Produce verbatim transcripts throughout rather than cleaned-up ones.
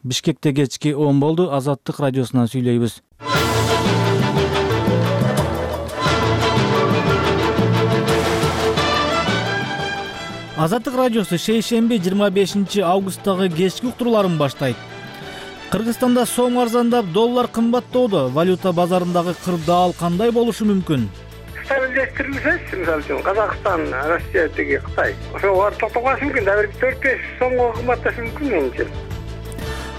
Бишкекте кечки он болду. Азаттык радиосунан сүйлөйбүз. Азаттык радиосу шейшемби жыйырма бешинчи августтагы кечки уктурууларын баштайт. Кыргызстанда сом арзандап, доллар кымбаттоодо. Валюта базарындагы кырдаал кандай болушу мүмкүн? Стабилдештирилсечи, мисалы үчүн Казакстан, Россия тиги Кытай. Ошого барып токтоп калышы мүмкүн. Дагы бир төрт беш сомго кымбатташы мүмкүн менимче.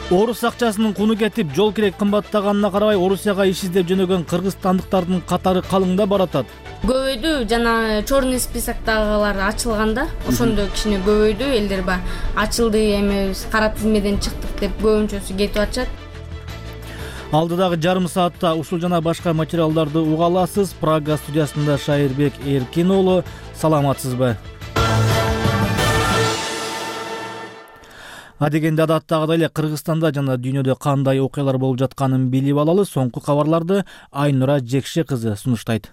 Орус акчасынын куну кетип, жол кирек кымбаттаганына карабай, Орусияга иш издеп жөнөгөн кыргызстандыктардын катары калыңдап баратат. Көбөйдү, жана черный списоктагылар ачылганда, ошондо кичине көбөйдү. Элдер ба ачылды, эми кара тизмеден чыктык деп көбүнчөсү кетип атышат. Алдыдагы жарым саатта ушул жана башка материалдарды уга аласыз. Прага студиясында Шайырбек Эркин уулу. Саламатсызбы? Адегенде адаттагыдай эле Кыргызстанда жана дүйнөдө кандай окуялар болуп жатканын билип алалы. Соңку кабарларды Айнура Жекше кызы сунуштайт.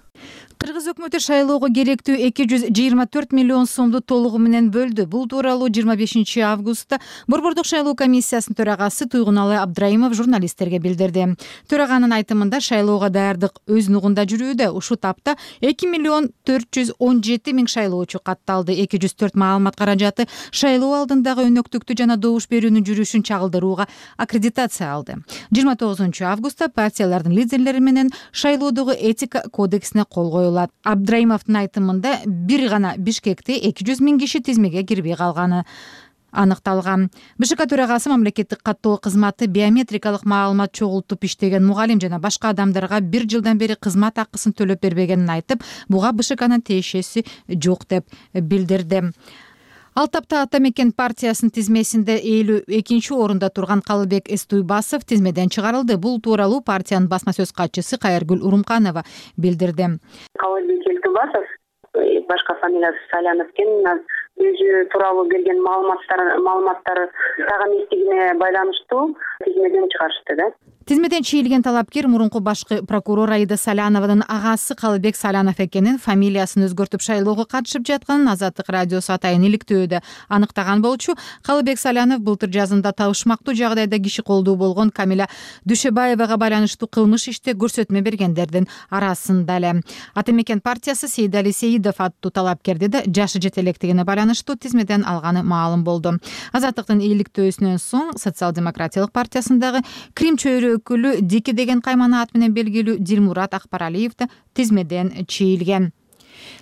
Кыргыз өкмөтү шайлоого керектүү эки жүз жыйырма төрт миллион сомду толугу менен бөлдү. Бул тууралуу жыйырма бешинчи августта Борбордук шайлоо комиссиясынын төрагасы Туйгуналы Абдраимов журналисттерге билдирди. Төраганын айтымында шайлоого даярдык өз нугунда жүрүүдө. Ушул тапта эки миллион төрт жүз он жети миң шайлоочу катталды. эки жүз төрт маалымат каражаты шайлоо алдындагы өнөктүктү жана добуш берүүнүн жүрүшүн чагылдырууга аккредитация алды. жыйырма тогузунчу августта партиялардын лидерлери менен шайлоодогу этика кодексине кол коюлат. Абдраимовдун айтымында бир гана Бишкекте эки жүз миң киши тизмеге кирбей калганы аныкталган. БШК төрагасы мамлекеттик каттоо кызматы биометрикалык маалымат чогултуп иштеген мугалим жана башка адамдарга бир жылдан бери кызмат акысын төлөп бербегенин айтып, буга БШКнын тиешеси жок деп билдирди. Ал тапта Ата Мекен партиясынын тизмесинде элүү экинчи орунда турган Калыбек Эстуйбасов тизмеден чыгарылды. Бул тууралуу партиянын басма сөз катчысы Кайыргүл Урумканова билдирди. Калыбек Эстуйбасов, башка фамилиясы Салянов экен, өзү тууралуу берген маалыматтар маалыматтары так эместигине байланыштуу тизмеден чыгарышты да. Тизмеден чийилген талапкер мурунку башкы прокурор Аида Салянованын агасы Калыбек Салянов экенин, фамилиясын өзгөртүп шайлоого катышып жатканын Азаттык радиосу атайын иликтөөдө аныктаган болчу. Калыбек Салянов былтыр жазында табышмактуу жагдайда киши колдуу болгон Камиля Дүшөбаевага байланыштуу кылмыш иште көрсөтмө бергендердин арасында эле. Ата Мекен партиясы Сейдали Сейидов аттуу талапкерди да жашы жете электигине байланыштуу тизмеден алганы маалым болду. Азаттыктын иликтөөсүнөн соң Социал-демократиялык партиясындагы Крим чөйрө өкүлү Дики деген каймана ат менен белгилүү Дилмурат Акпаралиев да тизмеден чийилген.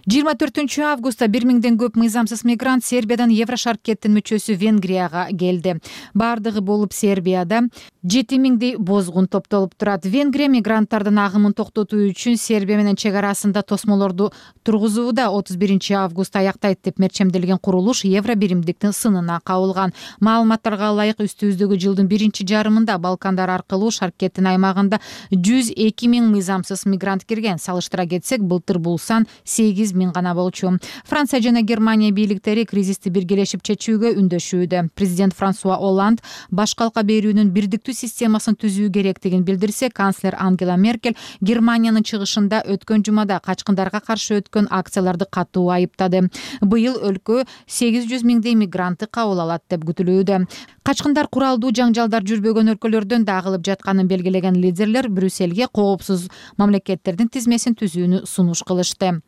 жыйырма төртүнчү августта бир миңден көп мыйзамсыз мигрант Сербиядан Еврошаркеттин мүчөсү Венгрияга келди. Бардыгы болуп Сербияда жети миңдей бозгун топтолуп турат. Венгрия мигранттардын агымын токтотуу үчүн Сербия менен чек арасында тосмолорду тургузууда отуз биринчи август аяктайт деп мерчемделген курулуш евро биримдиктин сынына кабылган. Маалыматтарга ылайык үстүбүздөгү жылдын биринчи жарымында Балкандар аркылуу Шаркеттин аймагында жүз эки миң мыйзамсыз мигрант кирген. Салыштыра кетсек, былтыр бул сан сегиз миң гана болчу. Франция жана Германия бийликтери кризисти биргелешип чечүүгө үндөшүүдө. Президент Франсуа Олланд баш калка берүүнүн бирдиктүү системасын түзүү керектигин билдирсе, канцлер Ангела Меркель Германиянын чыгышында өткөн жумада качкындарга каршы өткөн акцияларды катуу айыптады. Быйыл өлкө сегиз жүз миңдей мигрантты кабыл алат деп күтүлүүдө. Качкындар куралдуу жаңжалдар жүрбөгөн өлкөлөрдөн да агылып жатканын белгилеген лидерлер Брюссельге коопсуз мамлекеттердин тизмесин түзүүнү сунуш кылышты.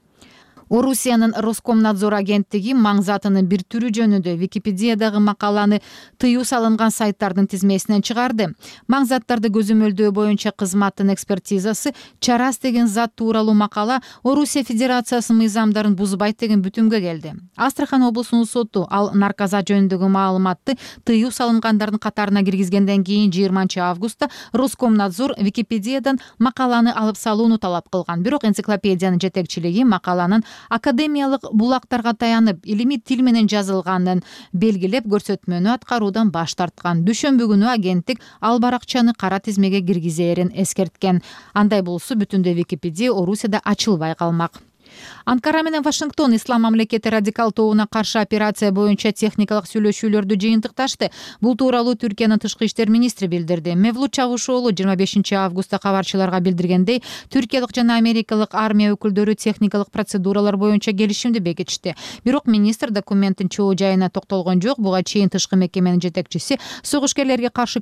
Орусиянын Роскомнадзор агенттиги маң затынын бир түрү жөнүндө Википедиядагы макаланы тыюу салынган сайттардын тизмесинен чыгарды. Маң заттарды көзөмөлдөө боюнча кызматтын экспертизасы чарас деген зат тууралуу макала Орусия Федерациясынын мыйзамдарын бузбайт деген бүтүмгө келди. Астрахан облусунун соту ал наркозат жөнүндөгү маалыматты тыюу салынгандардын катарына киргизгенден кийин жыйырманчы августта Роскомнадзор Википедиядан макаланы алып салууну талап кылган. Бирок энциклопедиянын жетекчилиги макаланын академиялык булактарга таянып, илимий тил менен жазылганын белгилеп, көрсөтмөнү аткаруудан баш тарткан. Дүйшөмбү күнү агенттик ал баракчаны кара тизмеге киргизээрин эскерткен. Андай болсо бүтүндөй Википедия Орусияда ачылбай калмак. Анкара менен Вашингтон ислам мамлекети радикал тобуна каршы операция боюнча техникалык сүйлөшүүлөрдү жыйынтыкташты. Бул тууралуу Түркиянын тышкы иштер министри билдирди. Мевлут Чавушоğlu жыйырма бешинчи августта кабарчыларга билдиргендей, түркиялык жана америкалык армия өкүлдөрү техникалык процедуралар боюнча келишимди бекитишти. Бирок министр документтин чоо жайына токтолгон жок. Буга чейин тышкы мекеменин жетекчиси согушкерлерге каршы